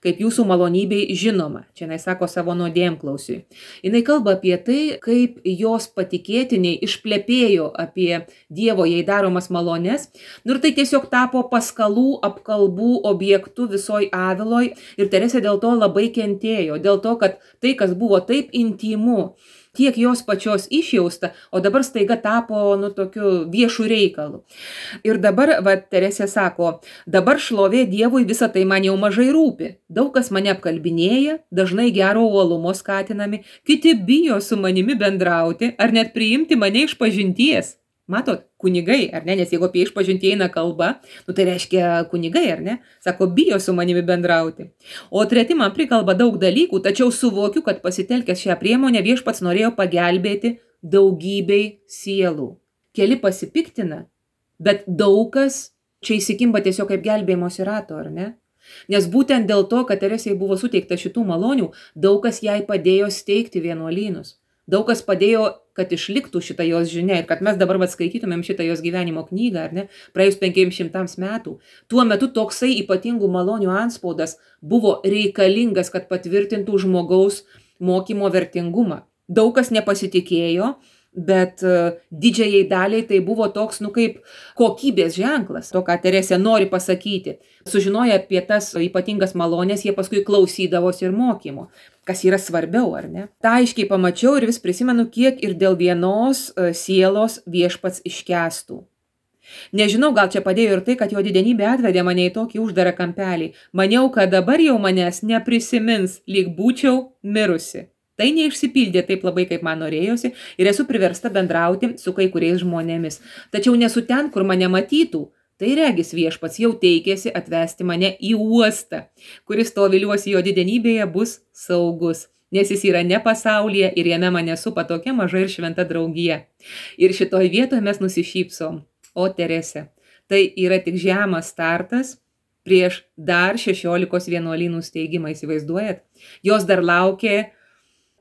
Kaip jūsų malonybei žinoma, čia jinai sako savo nuodėmklausiui. Jinai kalba apie tai, kaip jos patikėtiniai išplepėjo apie Dievo jai daromas malonės. Nu ir tai tiesiog tapo paskalų, apkalbų objektų visoj Aviloj ir Teresė dėl to labai kentėjo. Dėl to, kad tai, kas buvo taip intymu, tiek jos pačios išjausta, o dabar staiga tapo, nu, tokiu viešu reikalu. Ir dabar, va, Teresė sako, dabar šlovė Dievui visą tai man jau mažai rūpi. Daug kas mane apkalbinėja, dažnai gero uolumo skatinami, kiti bijo su manimi bendrauti ar net priimti mane iš pažinties. Matot, kunigai, ar ne, nes jeigu apie išpažintį eina kalba, nu tai reiškia kunigai, ar ne, sako, bijo su manimi bendrauti. O treti man prikalba daug dalykų, tačiau suvokiu, kad pasitelkęs šią priemonę viešpats norėjo pagelbėti daugybei sielų. Keli pasipiktina, bet daug kas čia įsikimba tiesiog kaip gelbėjimosi rato, ar ne? Nes būtent dėl to, kad Teresei buvo suteikta šitų malonių, daug kas jai padėjo steigti vienuolynus. Daug kas padėjo, kad išliktų šitą jos žinia ir kad mes dabar atskaitytumėm šitą jos gyvenimo knygą, ar ne, praėjus penkiems šimtams metų. Tuo metu toksai ypatingų malonių antspaudas buvo reikalingas, kad patvirtintų žmogaus mokymo vertingumą. Daug kas nepasitikėjo, bet uh, didžiajai daliai tai buvo toks, nu, kaip kokybės ženklas, to, ką Teresė nori pasakyti. Sužinoję apie tas ypatingas malonės, jie paskui klausydavosi ir mokymo. Kas yra svarbiau, ar ne? Ta aiškiai pamačiau ir vis prisimenu, kiek ir dėl vienos uh, sielos viešpats iškęstų. Nežinau, gal čia padėjo ir tai, kad jo didenybė atvedė mane į tokį uždarą kampelį. Maniau, kad dabar jau manęs neprisimins, lyg būčiau mirusi. Tai neišsipildė taip labai, kaip man norėjosi ir esu priversta bendrauti su kai kuriais žmonėmis. Tačiau nesu ten, kur mane matytų. Tai regis viešpats jau teikėsi atvesti mane į uostą, kuris to viliuosi jo didenybėje bus saugus, nes jis yra ne pasaulyje ir jame mane supa tokia maža ir šventa draugija. Ir šitoj vietoje mes nusišypsom. O Teresė, tai yra tik žemas startas prieš dar šešiolikos vienuolynų steigimą, įsivaizduojat? Jos dar laukė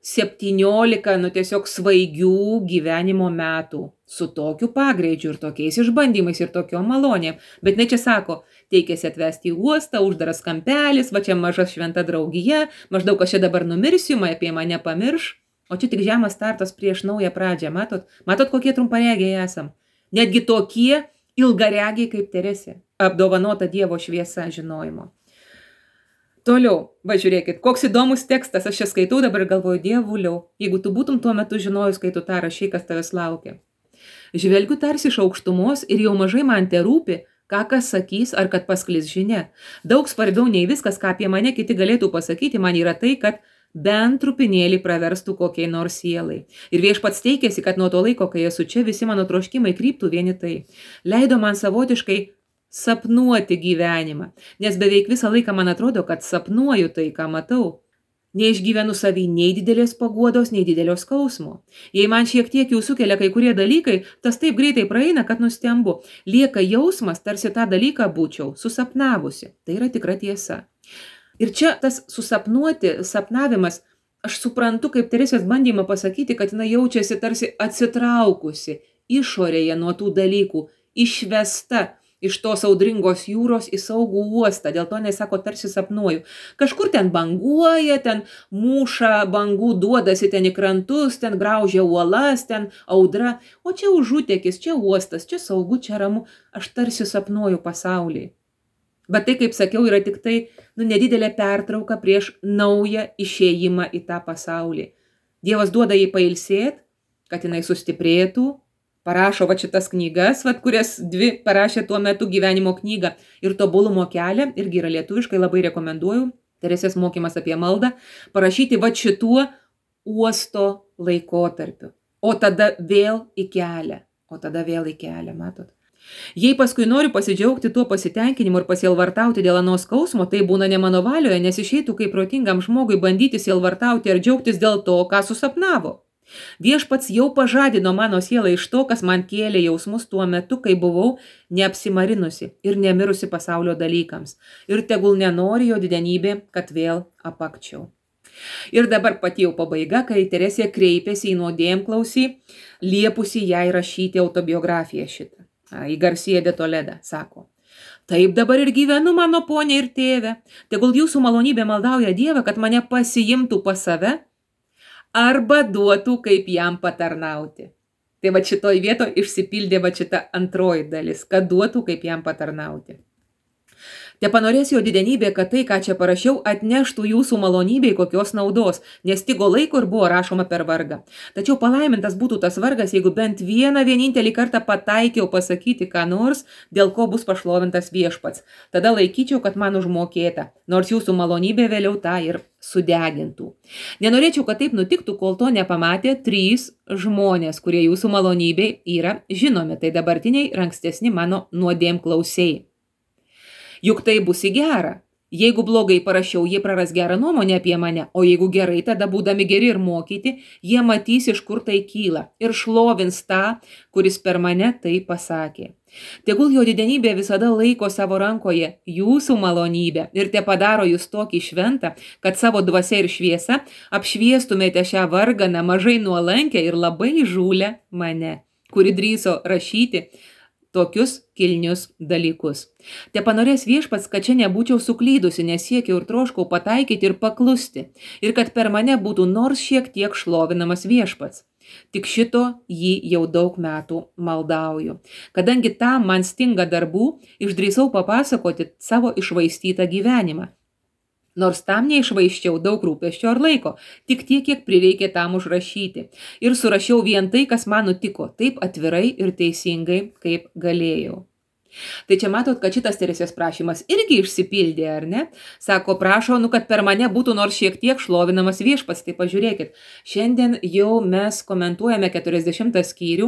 septyniolika, nu tiesiog svaigių gyvenimo metų su tokiu pagreičiu ir tokiais išbandymais ir tokiom malonėm. Bet ne čia sako, teikėsi atvesti į uostą, uždaras kampelis, va čia maža šventa draugija, maždaug aš čia dabar numirsiu, apie mane pamirš. O čia tik žemas startas prieš naują pradžią, matot? Matot, kokie trumparegiai esam? Netgi tokie ilgaregiai kaip Teresė, apdovanota Dievo šviesa žinojimo. Toliau, va žiūrėkit, koks įdomus tekstas, aš čia skaitau dabar ir galvoju, Dievuliau, jeigu tu būtum tuo metu žinojus, kai tu tą rašai, kas tavęs laukia. Žvelgiu tarsi iš aukštumos ir jau mažai man te rūpi, ką kas sakys ar kad pasklis žinia. Daug svarbiau nei viskas, ką apie mane kiti galėtų pasakyti, man yra tai, kad bent trupinėlį praverstų kokiai nors sielai. Ir viešpats teikėsi, kad nuo to laiko, kai esu čia, visi mano troškimai kryptų vieni tai. Leido man savotiškai sapnuoti gyvenimą, nes beveik visą laiką man atrodo, kad sapnuoju tai, ką matau. Neišgyvenu savy nei didelės paguodos, nei didelio skausmo. Jei man šiek tiek jau sukelia kai kurie dalykai, tas taip greitai praeina, kad nustembu. Lieka jausmas, tarsi tą dalyką būčiau susapnavusi. Tai yra tikra tiesa. Ir čia tas susapnuoti, sapnavimas, aš suprantu kaip Teresės bandymą pasakyti, kad jinai jaučiasi tarsi atsitraukusi išorėje nuo tų dalykų, išvesta iš tos audringos jūros į saugų uostą. Dėl to jinai sako, tarsi sapnuoju. Kažkur ten banguoja, ten mūša bangų, duodasi ten į krantus, ten graužia uolas, ten audra. O čia užutekis, čia uostas, čia saugu, čia ramu. Aš tarsi sapnuoju pasaulį. Bet tai, kaip sakiau, yra tik tai nu, nedidelė pertrauka prieš naują išėjimą į tą pasaulį. Dievas duoda jai pailsėti, kad jinai sustiprėtų, parašo va šitas knygas, va, kurias dvi parašė tuo metu gyvenimo knygą ir tobulumo kelią, irgi yra lietuviškai, labai rekomenduoju, Teresės mokymas apie maldą, parašyti va šituo uosto laikotarpiu. O tada vėl į kelią, o tada vėl į kelią, matot. Jei paskui noriu pasidžiaugti tuo pasitenkinimu ir pasielvartauti dėl anos skausmo, tai būna ne mano valioje, nes išeitų kaip protingam žmogui bandyti sielvartauti ar džiaugtis dėl to, ką susapnavo. Viešpats jau pažadino mano sielą iš to, kas man kėlė jausmus tuo metu, kai buvau neapsimarinusi ir nemirusi pasaulio dalykams. Ir tegul nenori jo didenybė, kad vėl apakčiau. Ir dabar pati jau pabaiga, kai Teresė kreipėsi į nuodėmklausį, liepusi jai rašyti autobiografiją šitą. Į Garcia de Toledą, sako. Taip dabar ir gyvenu, mano ponė ir tėve. Tegul jūsų malonybė maldauja Dievą, kad mane pasiimtų pas save arba duotų, kaip jam patarnauti. Tai va šitoj vietoj išsipildė va šita antroji dalis, kad duotų, kaip jam patarnauti. Te panorės jo didenybė, kad tai, ką čia parašiau, atneštų jūsų malonybei kokios naudos, nes stigo laiko ir buvo rašoma per vargą. Tačiau palaimintas būtų tas vargas, jeigu bent vieną vienintelį kartą pataikiau pasakyti ką nors, dėl ko bus pašlovintas viešpats. Tada laikyčiau, kad man užmokėta, nors jūsų malonybė vėliau tą ir sudegintų. Nenorėčiau, kad taip nutiktų, kol to nepamatė trys žmonės, kurie jūsų malonybei yra žinomi, tai dabartiniai ir ankstesni mano nuodėmklausiai. Juk tai bus į gerą. Jeigu blogai parašiau, jie praras gerą nuomonę apie mane, o jeigu gerai, tada būdami geri ir mokyti, jie matys, iš kur tai kyla ir šlovins tą, kuris per mane tai pasakė. Tegul jo didenybė visada laiko savo rankoje jūsų malonybę ir te padaro jūs tokį šventą, kad savo dvasia ir šviesa apšviestumėte šią varganą, mažai nuolankę ir labai įžūlę mane, kuri drįso rašyti tokius kilnius dalykus. Te panorės viešpats, kad čia nebūčiau suklydusi, nes siekiau ir troškau pataikyti ir paklusti, ir kad per mane būtų nors šiek tiek šlovinamas viešpats. Tik šito jį jau daug metų maldauju. Kadangi tam man stinga darbų, išdrįsau papasakoti savo iššvaistytą gyvenimą. Nors tam neišvaiščiau daug rūpesčio ar laiko, tik tiek, kiek prireikė tam užrašyti. Ir surašiau vien tai, kas man nutiko, taip atvirai ir teisingai, kaip galėjau. Tai čia matot, kad šitas Teresės prašymas irgi išsipildė, ar ne? Sako, prašau, nu, kad per mane būtų nors šiek tiek šlovinamas viešpats. Tai pažiūrėkit, šiandien jau mes komentuojame keturiasdešimtą skyrių.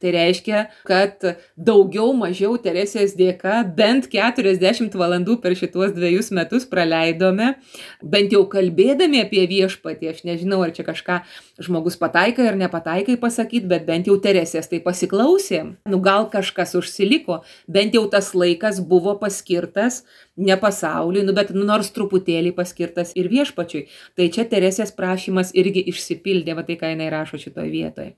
Tai reiškia, kad daugiau mažiau Teresės dėka bent keturiasdešimt valandų per šituos dviejus metus praleidome, bent jau kalbėdami apie viešpatį. Aš nežinau, ar čia kažką žmogus pataikai ar nepataikai pasakyti, bet bent jau Teresės tai pasiklausėm. Nu, gal kažkas užsiliko, bent bent jau tas laikas buvo paskirtas ne pasauliui, nu, bet nors truputėlį paskirtas ir viešpačiui. Tai čia Teresės prašymas irgi išsipildė, va tai ką jinai rašo šitoje vietoje.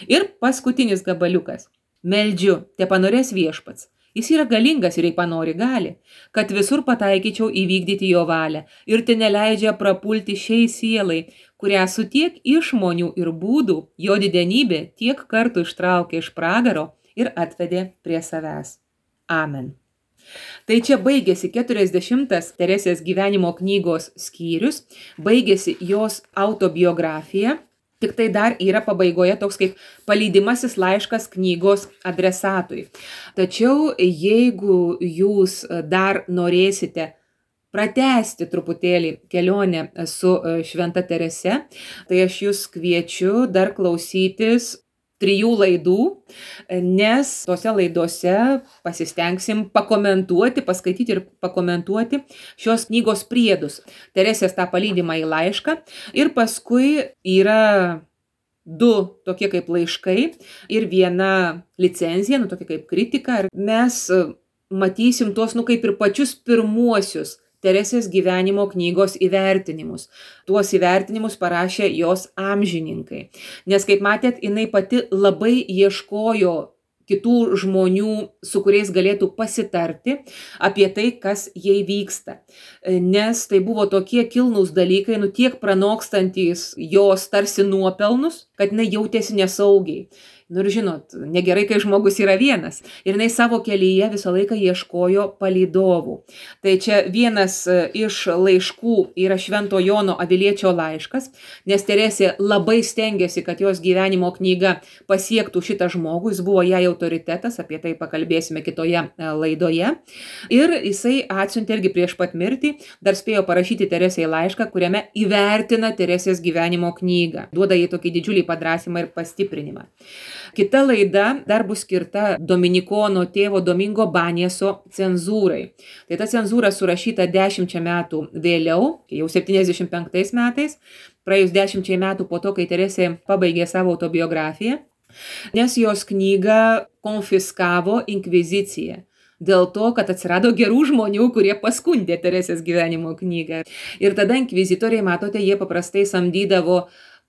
Ir paskutinis gabaliukas. Meldžiu, te panorės viešpats. Jis yra galingas ir jei panori gali, kad visur pataikyčiau įvykdyti jo valią ir te neleidžia prapulti šiai sielai, kurią su tiek išmonių ir būdų jo didenybė tiek kartų ištraukė iš pragaro ir atvedė prie savęs. Amen. Tai čia baigėsi keturiasdešimtas Teresės gyvenimo knygos skyrius, baigėsi jos autobiografija. Tik tai dar yra pabaigoje toks kaip palydimasis laiškas knygos adresatui. Tačiau jeigu jūs dar norėsite pratęsti truputėlį kelionę su Šventa Terese, tai aš jūs kviečiu dar klausytis trijų laidų, nes tose laidose pasistengsim pakomentuoti, paskaityti ir pakomentuoti šios knygos priedus. Teresės tą palydimą į laišką ir paskui yra du tokie kaip laiškai ir viena licenzija, nu tokia kaip kritika. Mes matysim tuos, nu kaip ir pačius pirmuosius Teresės gyvenimo knygos įvertinimus. Tuos įvertinimus parašė jos amžininkai. Nes, kaip matėt, jinai pati labai ieškojo kitų žmonių, su kuriais galėtų pasitarti apie tai, kas jai vyksta. Nes tai buvo tokie kilnūs dalykai, nu tiek pranokstantys jos tarsi nuopelnus, kad jinai jautėsi nesaugiai. Nu ir žinot, negerai, kai žmogus yra vienas. Ir jinai savo kelyje visą laiką ieškojo palydovų. Tai čia vienas iš laiškų yra Švento Jono Aviliečio laiškas, nes Teresė labai stengiasi, kad jos gyvenimo knyga pasiektų šitą žmogų. Jis buvo jai autoritetas, apie tai pakalbėsime kitoje laidoje. Ir jisai atsiuntė irgi prieš pat mirtį, dar spėjo parašyti Teresei laišką, kuriame įvertina Teresės gyvenimo knygą. Duoda jai tokį didžiulį padrąsimą ir pastiprinimą. Kita laida dar bus skirta dominikono tėvo Domingo Banieso cenzūrai. Tai ta cenzūra surašyta dešimčia metų vėliau, jau septyniasdešimt penktais metais, praėjus dešimčiai metų po to, kai Teresė pabaigė savo autobiografiją, nes jos knygą konfiskavo inkvizicija. Dėl to, kad atsirado gerų žmonių, kurie paskundė Teresės gyvenimo knygą. Ir tada inkvizitoriai, matote, jie paprastai samdydavo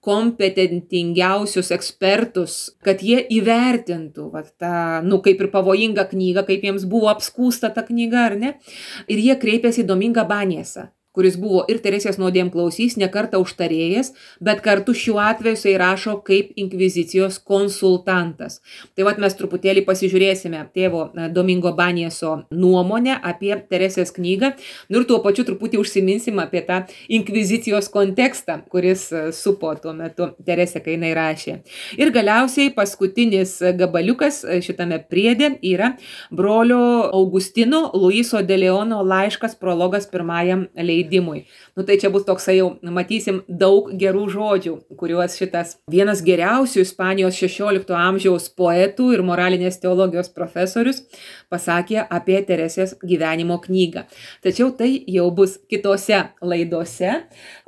kompetentingiausius ekspertus, kad jie įvertintų va, tą, nu, kaip ir pavojingą knygą, kaip jiems buvo apskūsta ta knyga, ar ne? Ir jie kreipėsi į Domingą Baniesą, kuris buvo ir Teresės nuodėmklausys, ne kartą užtarėjas, bet kartu šiuo atveju jisai rašo kaip inkvizicijos konsultantas. Tai vat mes truputėlį pasižiūrėsime tėvo Domingo Banieso nuomonę apie Teresės knygą, nu ir tuo pačiu truputį užsiminsim apie tą inkvizicijos kontekstą, kuris supo tuo metu Teresė, kai jinai rašė. Ir galiausiai paskutinis gabaliukas šitame priede yra brolio Augustino Luiso de Leono laiškas prologas pirmajam leidimui. Nu tai čia bus toksai jau, matysim, daug gerų žodžių, kuriuos šitas vienas geriausių Ispanijos šešiolikto amžiaus poetų ir moralinės teologijos profesorius pasakė apie Teresės gyvenimo knygą. Tačiau tai jau bus kitose laidose,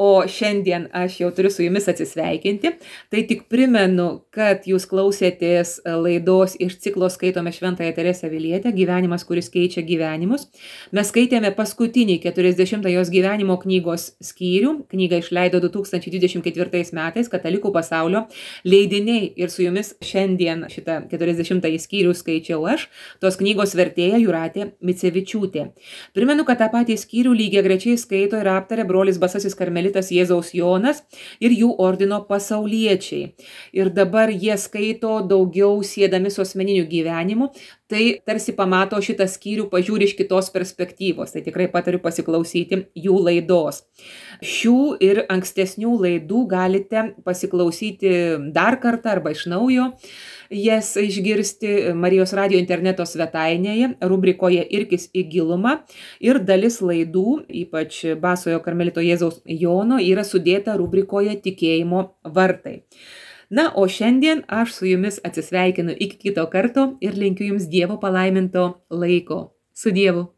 o šiandien aš jau turiu su jumis atsisveikinti. Tai tik primenu, kad jūs klausėtės laidos iš ciklo Skaitome Šventąją Teresę Avilietę, gyvenimas, kuris keičia gyvenimus. Mes skaitėme paskutinį keturiasdešimtą jos gyvenimo gyvenimo knygos skyrių. Knygą išleido du tūkstančiai dvidešimt ketvirtais metais Katalikų pasaulio leidiniai. Ir su jumis šiandien šitą keturiasdešimtąjį skyrių skaičiau aš, tos knygos vertėja Jūratė Micevičiūtė. Primenu, kad tą patį skyrių lygiagrečiai skaito ir aptarė brolis Basasis karmelitas Jėzaus Jonas ir jų ordino pasauliečiai. Ir dabar jie skaito daugiau siedami su asmeniniu gyvenimu. Tai tarsi pamato šitą skyrių, pažiūri iš kitos perspektyvos. Tai tikrai patariu pasiklausyti jų laidos. Šių ir ankstesnių laidų galite pasiklausyti dar kartą arba iš naujo. Jas išgirsti Marijos radijo interneto svetainėje, rubrikoje Irkis į gilumą. Ir dalis laidų, ypač Basojo karmelito Jėzaus Jono, yra sudėta rubrikoje Tikėjimo vartai. Na, o šiandien aš su jumis atsisveikinu iki kito karto ir linkiu jums Dievo palaiminto laiko. Su Dievu.